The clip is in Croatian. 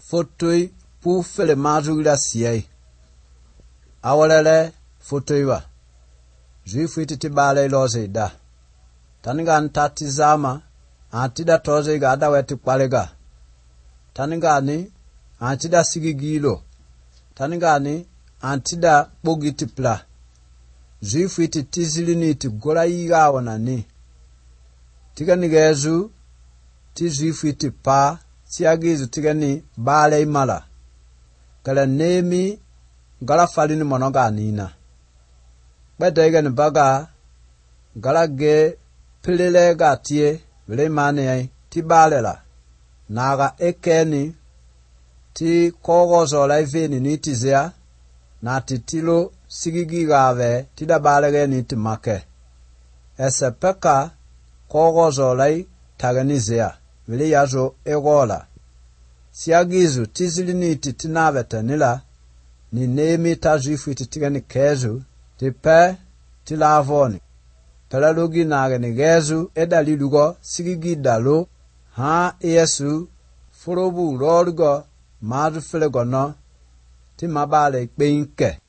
fotoi pu fele mazugira siye. Awalele fotoiwa. Juifu iti bale iloze da. Taniga antati zama, antida toze iga ada weti kwalega. Taniga ni antida sigigilo. Taniga ni antida bogiti pla. Juifu iti tizilini iti gola iga wanani. Tiga nigezu, ti juifu iti pa, siagizu tiga ni bale imala. Kala nemi gala falini monoga nina. Beda iga ni baga gala ge pilile ga tie vile mane ti bale la. Naga ekeni ti kogo zola iveni ni tizea na titilo sigigi gave ti da bale ge ni ti make. Ese peka kogo zola taganizea vile yazo egola. Siagizu tizilini iti tinave tenila ni nemi ta juifu iti tiga ni kezu ti pe ti lavoni. Pela lugi nage ni gezu edali lugo sigigi dalo ha yesu forobu lorgo madu felegono ti mabale ikpe inke.